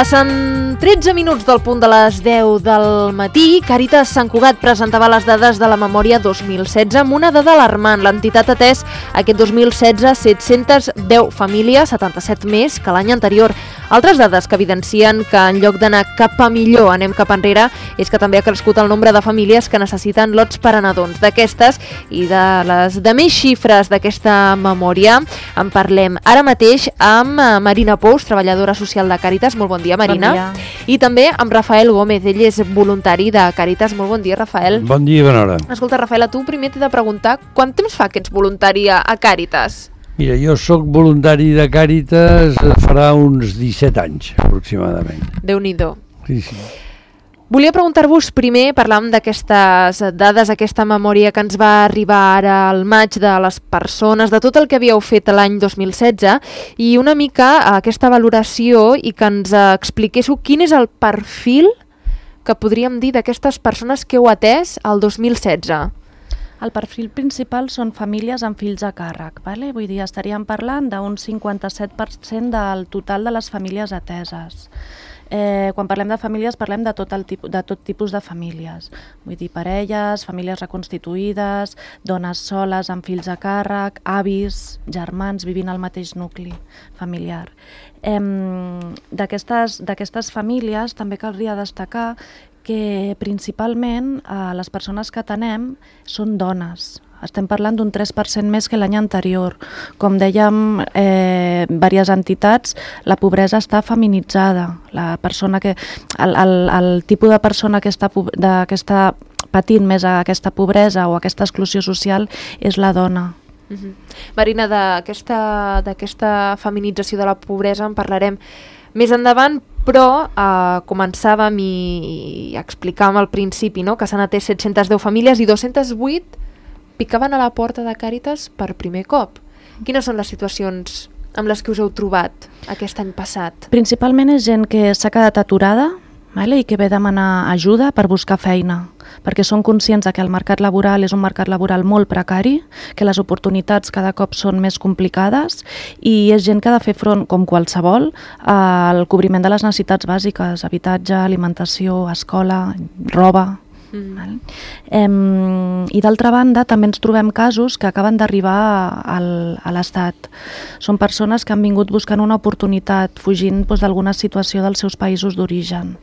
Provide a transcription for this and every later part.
Passen 13 minuts del punt de les 10 del matí. Càritas Sant Cugat presentava les dades de la memòria 2016 amb una dada alarmant. L'entitat ha atès aquest 2016 710 famílies, 77 més que l'any anterior. Altres dades que evidencien que en lloc d'anar cap a millor anem cap enrere és que també ha crescut el nombre de famílies que necessiten lots per a nadons. D'aquestes i de les de més xifres d'aquesta memòria en parlem ara mateix amb Marina Pous, treballadora social de Càritas. Molt bon dia, Marina. Bon dia. I també amb Rafael Gómez, ell és voluntari de Càritas. Molt bon dia, Rafael. Bon dia i bona hora. Escolta, Rafael, a tu primer t'he de preguntar quant temps fa que ets voluntari a Càritas? Mira, jo sóc voluntari de Càritas farà uns 17 anys, aproximadament. Déu-n'hi-do. Sí, sí. Volia preguntar-vos primer, parlàvem d'aquestes dades, aquesta memòria que ens va arribar ara al maig de les persones, de tot el que havíeu fet l'any 2016, i una mica aquesta valoració i que ens expliquéssiu quin és el perfil que podríem dir d'aquestes persones que heu atès el 2016. El perfil principal són famílies amb fills a càrrec, vale? Vull dir, estaríem parlant d'un 57% del total de les famílies ateses. Quan parlem de famílies parlem de tot tipus de famílies, vull dir parelles, famílies reconstituïdes, dones soles amb fills a càrrec, avis, germans vivint al mateix nucli familiar. D'aquestes famílies també caldria destacar que principalment les persones que atenem són dones. Estem parlant d'un 3% més que l'any anterior. Com dèiem, diverses entitats, la pobresa està feminitzada. El tipus de persona que està patint més aquesta pobresa o aquesta exclusió social és la dona. Marina, d'aquesta feminització de la pobresa en parlarem més endavant, però començàvem i explicàvem al principi, no?, que s'han atès 710 famílies i 208 picaven a la porta de Càritas per primer cop. Quines són les situacions amb les que us heu trobat aquest any passat? Principalment és gent que s'ha quedat aturada, i que ve a demanar ajuda per buscar feina, perquè són conscients que el mercat laboral és un mercat laboral molt precari, que les oportunitats cada cop són més complicades i és gent que ha de fer front, com qualsevol, al cobriment de les necessitats bàsiques, habitatge, alimentació, escola, roba. I d'altra banda també ens trobem casos que acaben d'arribar a l'Estat. Són persones que han vingut buscant una oportunitat, fugint d'alguna situació dels seus països d'origen.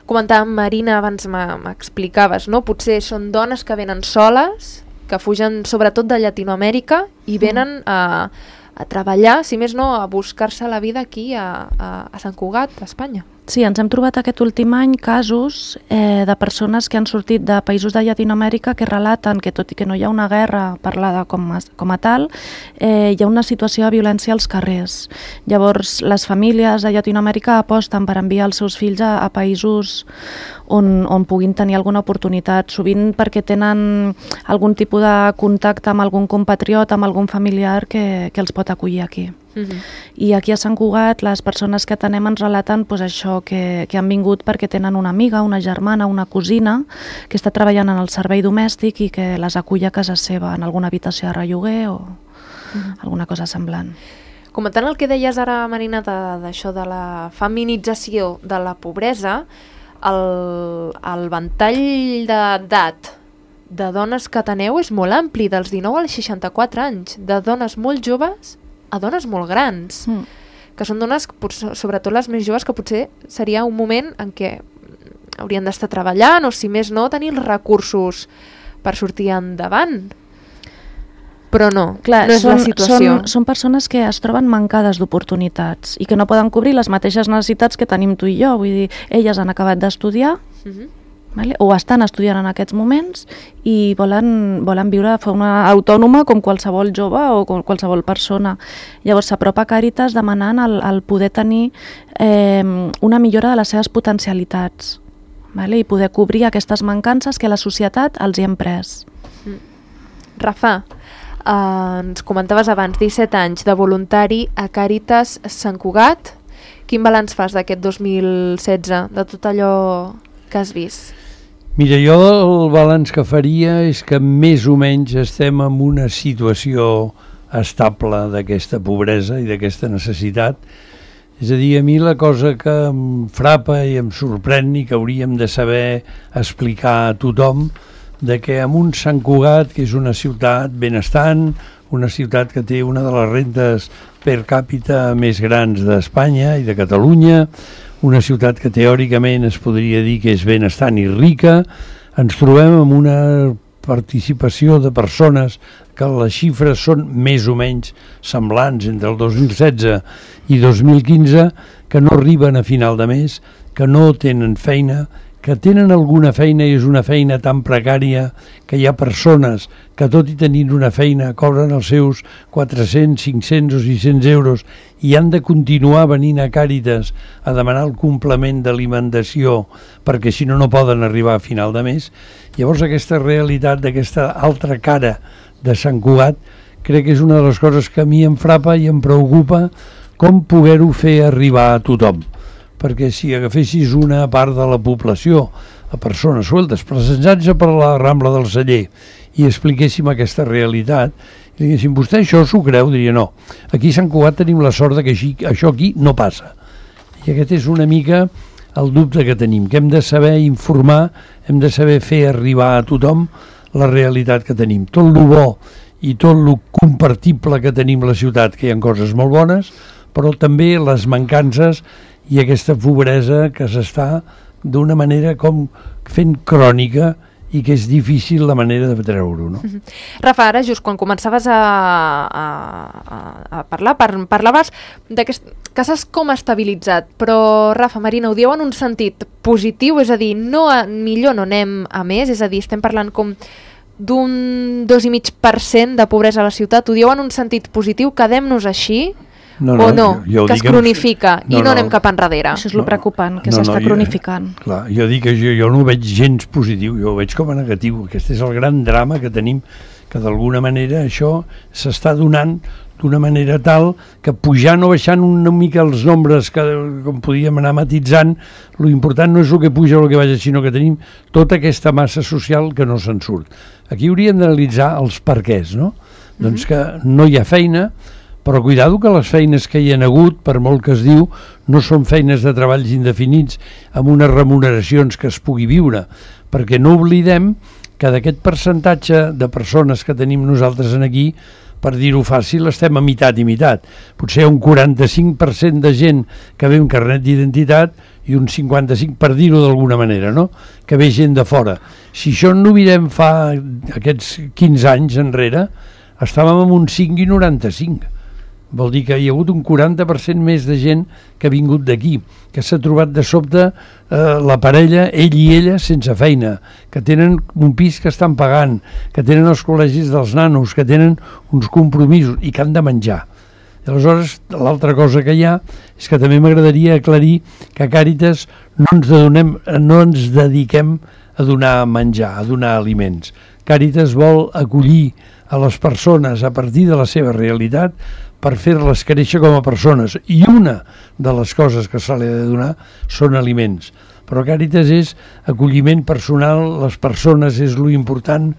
Comentàvem, Marina, abans m'explicaves, no? Potser són dones que venen soles, que fugen sobretot de Llatinoamèrica i venen a treballar, si més no, a buscar-se la vida aquí a Sant Cugat, a Espanya. Sí, ens hem trobat aquest últim any casos de persones que han sortit de països de Llatinoamèrica que relaten que tot i que no hi ha una guerra parlada com a tal, hi ha una situació de violència als carrers. Llavors, les famílies de Llatinoamèrica aposten per enviar els seus fills a països on puguin tenir alguna oportunitat, sovint perquè tenen algun tipus de contacte amb algun compatriota, amb algun familiar que els pot acollir aquí. I aquí a Sant Cugat les persones que atenem ens relaten això, que han vingut perquè tenen una amiga, una germana, una cosina que està treballant en el servei domèstic i que les acull a casa seva en alguna habitació de relloguer o alguna cosa semblant. Comentant el que deies ara, Marina, d'això de la feminització de la pobresa, el ventall d'edat de dones que ateneu és molt ampli, dels 19 als 64 anys, de dones molt joves a dones molt grans, que són dones, sobretot les més joves, que potser seria un moment en què haurien d'estar treballant o, si més no, tenir els recursos per sortir endavant. Però no, no és la situació. Són persones que es troben mancades d'oportunitats i que no poden cobrir les mateixes necessitats que tenim tu i jo. Vull dir, elles han acabat d'estudiar, o estan estudiant en aquests moments i volen viure de forma autònoma com qualsevol jove o com qualsevol persona. Llavors s'apropa a Càritas demanant el poder tenir una millora de les seves potencialitats i poder cobrir aquestes mancances que la societat els hi hem pres. Rafa, ens comentaves abans 17 anys de voluntari a Càritas Sant Cugat. Quin balanç fas d'aquest 2016, de tot allò que has vist? Mira, jo el balanç que faria és que més o menys estem en una situació estable d'aquesta pobresa i d'aquesta necessitat És a dir, a mi la cosa que em frapa i em sorprèn i que hauríem de saber explicar a tothom, de que en un Sant Cugat, que és una ciutat benestant, una ciutat que té una de les rendes per càpita més grans d'Espanya i de Catalunya, una ciutat que teòricament es podria dir que és benestant i rica, ens trobem amb una participació de persones que les xifres són més o menys semblants entre el 2016 i 2015, que no arriben a final de mes, que no tenen feina, que tenen alguna feina i és una feina tan precària que hi ha persones que tot i tenint una feina cobren els seus 400, 500 o 600 euros i han de continuar venint a Càritas a demanar el complement d'alimentació perquè si no no poden arribar a final de mes. Llavors aquesta realitat d'aquesta altra cara de Sant Cugat crec que és una de les coses que a mi em frapa i em preocupa com poder-ho fer arribar a tothom. Perquè si agafessis una part de la població, a persones sueltes, presentats per la Rambla del Celler, i expliquéssim aquesta realitat, i diguéssim, vostè això s'ho creu? Diria, no. Aquí a Sant Cugat tenim la sort que això aquí no passa. I aquest és una mica el dubte que tenim, que hem de saber informar, hem de saber fer arribar a tothom la realitat que tenim. Tot lo bo i tot lo compartible que tenim a la ciutat, que hi ha coses molt bones, però també les mancances i aquesta pobresa que s'està d'una manera com fent crònica i que és difícil la manera de treure-ho, no? Rafa, ara just quan començaves a parlar, parlaves que s'has com estabilitzat, però Rafa, Marina, ho dieu en un sentit positiu, és a dir, millor no anem a més, és a dir, estem parlant com d'un 2,5% de pobresa a la ciutat, ho dieu en un sentit positiu, quedem-nos així? O no, que es cronifica i no anem cap enrere. Això és el preocupant, que s'està cronificant. Clar, jo dic que jo no ho veig gens positiu, jo ho veig com a negatiu. Aquest és el gran drama que tenim, que d'alguna manera això s'està donant d'una manera tal que pujant o baixant una mica els nombres que com podíem anar matitzant, lo important no és el que puja o el que baixa, sinó que tenim tota aquesta massa social que no se'n surt. Aquí hauríem d'analitzar els perquès, no? Doncs que no hi ha feina, però cuidado que les feines que hi ha hagut, per molt que es diu, no són feines de treballs indefinits amb unes remuneracions que es pugui viure, perquè no oblidem que d'aquest percentatge de persones que tenim nosaltres aquí, per dir-ho fàcil, estem a meitat i meitat. Potser un 45% de gent que ve amb carnet d'identitat i un 55%, per dir-ho d'alguna manera, no? Que ve gent de fora. Si això no ho mirem fa aquests 15 anys enrere, estàvem amb un 5,95%. Vol dir que hi ha hagut un 40% més de gent que ha vingut d'aquí, que s'ha trobat de sobte la parella, ell i ella, sense feina, que tenen un pis que estan pagant, que tenen els col·legis dels nanos, que tenen uns compromisos i que han de menjar. I aleshores, l'altra cosa que hi ha és que també m'agradaria aclarir que a Càritas no ens dediquem a donar menjar, a donar aliments. Càritas vol acollir a les persones a partir de la seva realitat per fer-les créixer com a persones. I una de les coses que se li ha de donar són aliments. Però Càritas és acolliment personal, les persones és lo important,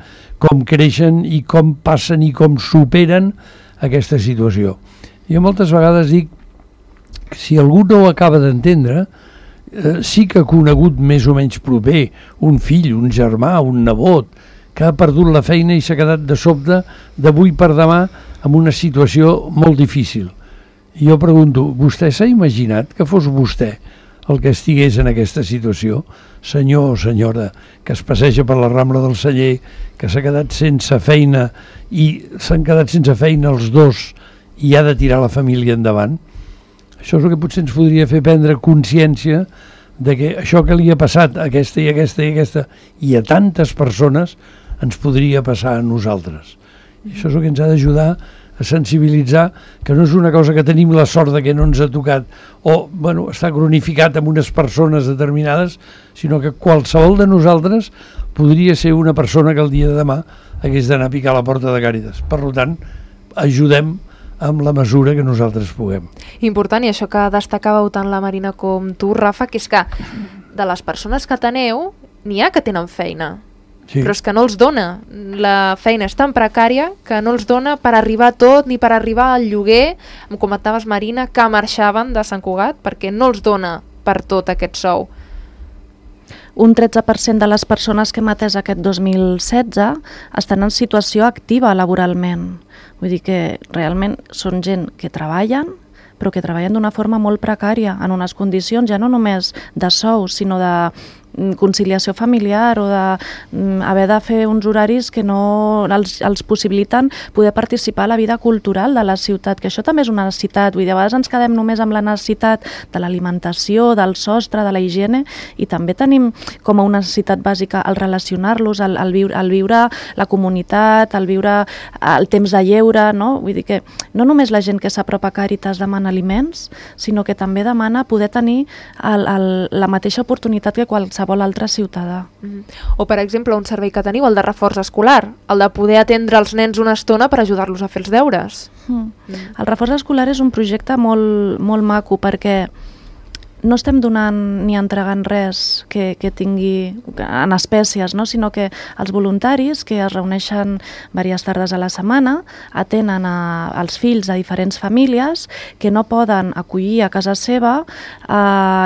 com creixen i com passen i com superen aquesta situació. Jo moltes vegades dic que si algú no ho acaba d'entendre, sí que ha conegut més o menys proper un fill, un germà, un nebot, que ha perdut la feina i s'ha quedat de sobte d'avui per demà en una situació molt difícil. I jo pregunto, vostè s'ha imaginat que fos vostè el que estigués en aquesta situació? Senyor o senyora que es passeja per la Rambla del Celler, que s'ha quedat sense feina i s'han quedat sense feina els dos i ha de tirar la família endavant? Això és el que potser ens podria fer prendre consciència de que això que li ha passat a aquesta i aquesta i aquesta i a tantes persones ens podria passar a nosaltres. I això és el que ens ha d'ajudar a sensibilitzar que no és una cosa que tenim la sort de que no ens ha tocat o està cronificat amb unes persones determinades, sinó que qualsevol de nosaltres podria ser una persona que el dia de demà hagués d'anar a picar a la porta de Càritas. Per tant, ajudem amb la mesura que nosaltres puguem. Important, i això que destacàveu tant la Marina com tu, Rafa, que és que de les persones que teneu, n'hi ha que tenen feina. però és que no els dona. La feina és tan precària que no els dona per arribar a tot, ni per arribar al lloguer. Em comentaves, Marina, que marxaven de Sant Cugat perquè no els dona per tot aquest sou. Un 13% de les persones que hem atès aquest 2016 estan en situació activa laboralment. Vull dir que realment són gent que treballen, però que treballen d'una forma molt precària, en unes condicions ja no només de sou, sinó de conciliació familiar o d'haver de fer uns horaris que no els possibiliten poder participar a la vida cultural de la ciutat, que això també és una necessitat. Vull dir, a vegades ens quedem només amb la necessitat de l'alimentació, del sostre, de la higiene, i també tenim com a una necessitat bàsica el relacionar-los, el viure la comunitat, el viure el temps de lleure, no? Vull dir que no només la gent que s'apropa a Càritas demana aliments, sinó que també demana poder tenir la mateixa oportunitat que qualsevol altre ciutadà. O, per exemple, un servei que teniu, el de reforç escolar, el de poder atendre els nens una estona per ajudar-los a fer els deures. El reforç escolar és un projecte molt, molt maco, perquè no estem donant ni entregant res que tingui en espècies, no? Sinó que els voluntaris que es reuneixen diverses tardes a la setmana atenen als fills de diferents famílies que no poden acollir a casa seva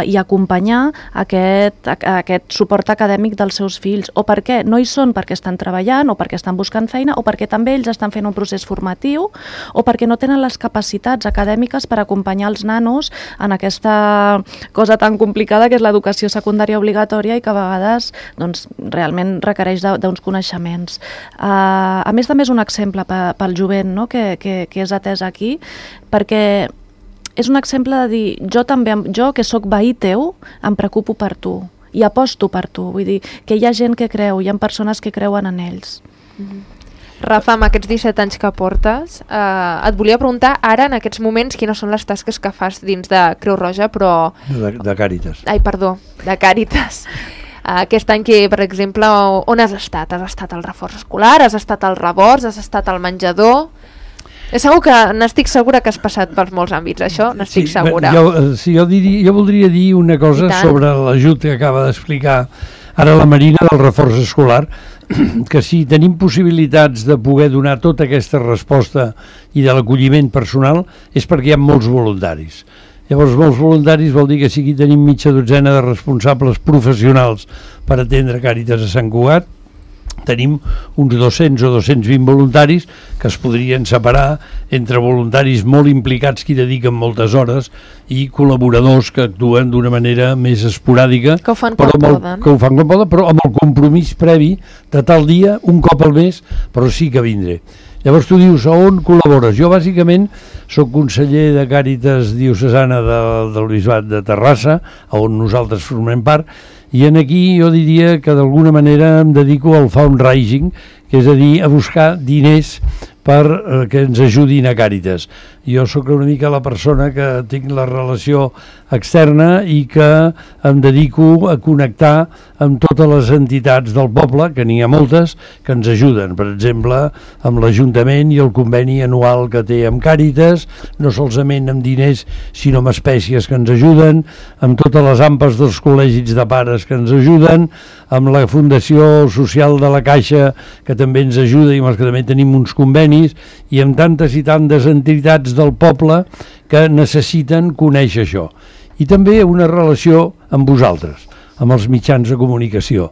i acompanyar aquest suport acadèmic dels seus fills, o perquè no hi són perquè estan treballant o perquè estan buscant feina o perquè també ells estan fent un procés formatiu o perquè no tenen les capacitats acadèmiques per acompanyar els nanos en aquesta cosa tan complicada que és l'educació secundària obligatòria i que a vegades doncs, realment requereix d'uns coneixements. A més, també és un exemple pel jovent, no? que és atès aquí, perquè és un exemple de dir, jo que sóc veí teu, em preocupo per tu i aposto per tu. Vull dir que hi ha gent que creu, hi ha persones que creuen en ells. Rafa, amb aquests 17 anys que portes, et volia preguntar ara, en aquests moments, quines són les tasques que fas dins de Creu Roja, però... De Càritas. Ai, perdó, de Càritas. Aquest any que, per exemple, on has estat? Has estat al reforç escolar, has estat al Rebords, has estat al menjador... Segur que n'estic segura que has passat pels molts àmbits, això n'estic segura. Jo voldria dir una cosa sobre l'ajut que acaba d'explicar ara la Marina del reforç escolar, que si tenim possibilitats de poder donar tota aquesta resposta i de l'acolliment personal és perquè hi ha molts voluntaris. Llavors, molts voluntaris vol dir que si aquí tenim mitja dotzena de responsables professionals per atendre Càritas a Sant Cugat, tenim uns 200 o 220 voluntaris que es podrien separar entre voluntaris molt implicats que hi dediquen moltes hores i col·laboradors que actuen d'una manera més esporàdica, que ho fan quan poden, però amb el compromís previ de tal dia, un cop al mes, però sí que vindré. Llavors tu dius, on col·labores? Jo bàsicament soc conseller de Càritas diocesana del Bisbat de Terrassa, on nosaltres formem part, i aquí jo diria que d'alguna manera em dedico al fundraising, que és a dir, a buscar diners per que ens ajudin a Càritas. Jo sóc una mica la persona que tinc la relació externa i que em dedico a connectar amb totes les entitats del poble, que n'hi ha moltes, que ens ajuden. Per exemple, amb l'Ajuntament i el conveni anual que té amb Càritas, no solament amb diners, sinó amb espècies que ens ajuden, amb totes les AMPAs dels col·legis de pares que ens ajuden, amb la Fundació Social de la Caixa, que també ens ajuda i amb els que també tenim uns convenis, i amb tantes i tantes entitats del poble que necessiten conèixer això. I també una relació amb vosaltres, amb els mitjans de comunicació.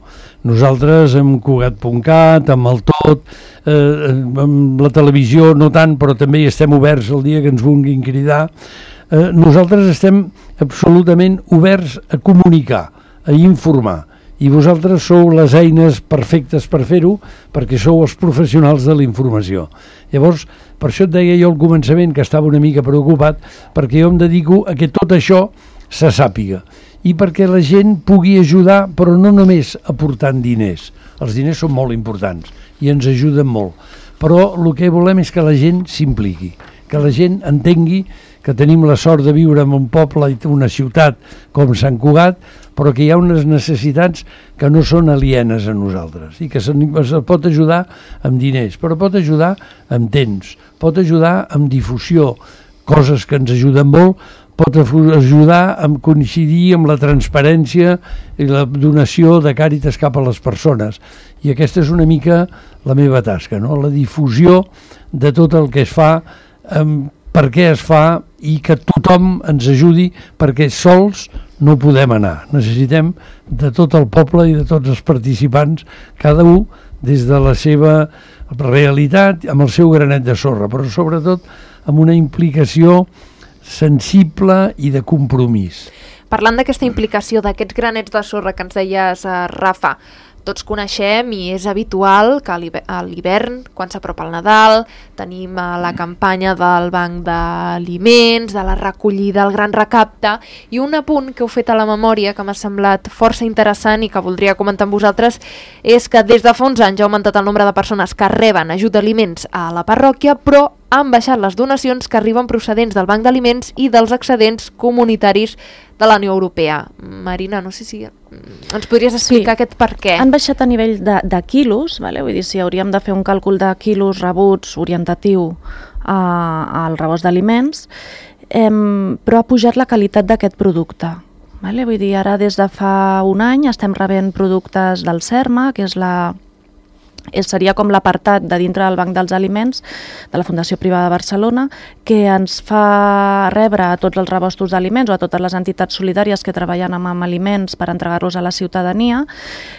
Nosaltres amb Cugat.cat, amb el Tot, amb la televisió no tant, però també hi estem oberts el dia que ens vulguin cridar. Nosaltres estem absolutament oberts a comunicar, a informar. I vosaltres sou les eines perfectes per fer-ho, perquè sou els professionals de la informació. Llavors, per això et deia jo al començament que estava una mica preocupat, perquè jo em dedico a que tot això se sàpiga i perquè la gent pugui ajudar, però no només aportant diners. Els diners són molt importants i ens ajuden molt, però el que volem és que la gent s'impliqui, que la gent entengui que tenim la sort de viure en un poble i una ciutat com Sant Cugat, però que hi ha unes necessitats que no són alienes a nosaltres i que se pot ajudar amb diners, però pot ajudar amb temps, pot ajudar amb difusió, coses que ens ajuden molt, pot ajudar a coincidir amb la transparència i la donació de Càritas cap a les persones. I aquesta és una mica la meva tasca, no? La difusió de tot el que es fa, per què es fa i que tothom ens ajudi, perquè sols no podem anar. Necessitem de tot el poble i de tots els participants, cada un des de la seva realitat, amb el seu granet de sorra, però sobretot amb una implicació sensible i de compromís. Parlant d'aquesta implicació, d'aquests granets de sorra que ens deies, Rafa, tots coneixem i és habitual que a l'hivern, quan s'apropa el Nadal, tenim la campanya del banc d'aliments, de la recollida, el gran recapte, i un apunt que heu fet a la memòria que m'ha semblat força interessant i que voldria comentar amb vosaltres és que des de fa uns anys ha augmentat el nombre de persones que reben ajut d'aliments a la parròquia, però han baixat les donacions que arriben procedents del banc d'aliments i dels excedents comunitaris de la Unió Europea. Marina, no sé si ens podries explicar aquest per què. Han baixat a nivell de quilos, vale? Vull dir, si hauríem de fer un càlcul de quilos rebuts orientatiu al rebost d'aliments, però ha pujat la qualitat d'aquest producte. Vale? Vull dir, ara des de fa un any estem rebent productes del CERMA, que seria com l'apartat de dintre del Banc dels Aliments de la Fundació Privada de Barcelona, que ens fa rebre a tots els rebostos d'aliments o a totes les entitats solidàries que treballen amb aliments per entregar-los a la ciutadania,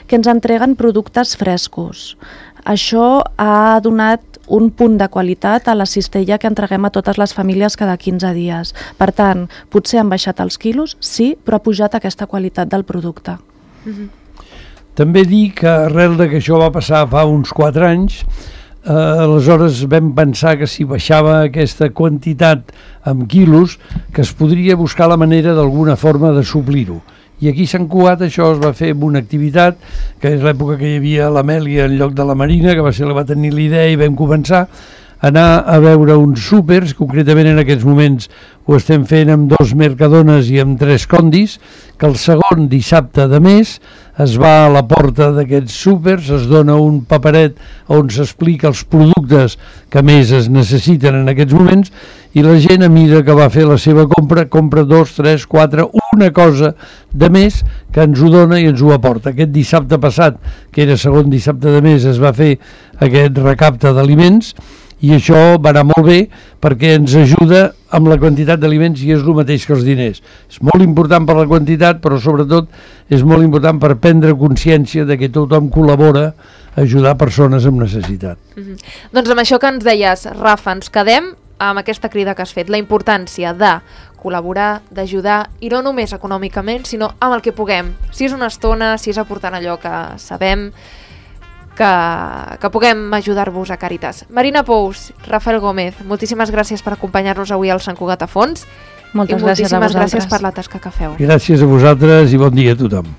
que ens entreguen productes frescos. Això ha donat un punt de qualitat a la cistella que entreguem a totes les famílies cada 15 dies. Per tant, potser han baixat els quilos, sí, però ha pujat aquesta qualitat del producte. També dir que arrel de que això va passar fa uns 4 anys, aleshores vam pensar que si baixava aquesta quantitat en quilos, que es podria buscar la manera d'alguna forma de suplir-ho. I aquí a Sant Cugat això es va fer amb una activitat, que és l'època que hi havia l'Amèlia en lloc de la Marina, que va ser la va tenir la idea i vam començar a anar a veure uns súpers, concretament en aquests moments ho estem fent amb 2 Mercadones i amb 3 Condis, que el segon dissabte de mes es va a la porta d'aquests súpers, es dona un paperet on s'explica els productes que més es necessiten en aquests moments i la gent a mida que va fer la seva compra, compra 2, 3, 4, una cosa de més que ens ho dona i ens ho aporta. Aquest dissabte passat, que era segon dissabte de mes, es va fer aquest recapte d'aliments i això va anar molt bé perquè ens ajuda amb la quantitat d'aliments i és el mateix que els diners. És molt important per la quantitat, però sobretot és molt important per prendre consciència de que tothom col·labora a ajudar persones amb necessitat. Doncs amb això que ens deies, Rafa, ens quedem amb aquesta crida que has fet, la importància de col·laborar, d'ajudar, i no només econòmicament, sinó amb el que puguem. Si és una estona, si és aportant allò que sabem, que puguem ajudar-vos a Càritas. Marina Pous, Rafael Gómez, moltíssimes gràcies per acompanyar-nos avui al Sant Cugat a Fons. Moltes gràcies a vosaltres. Moltíssimes gràcies per la tasca que feu. Gràcies a vosaltres i bon dia a tothom.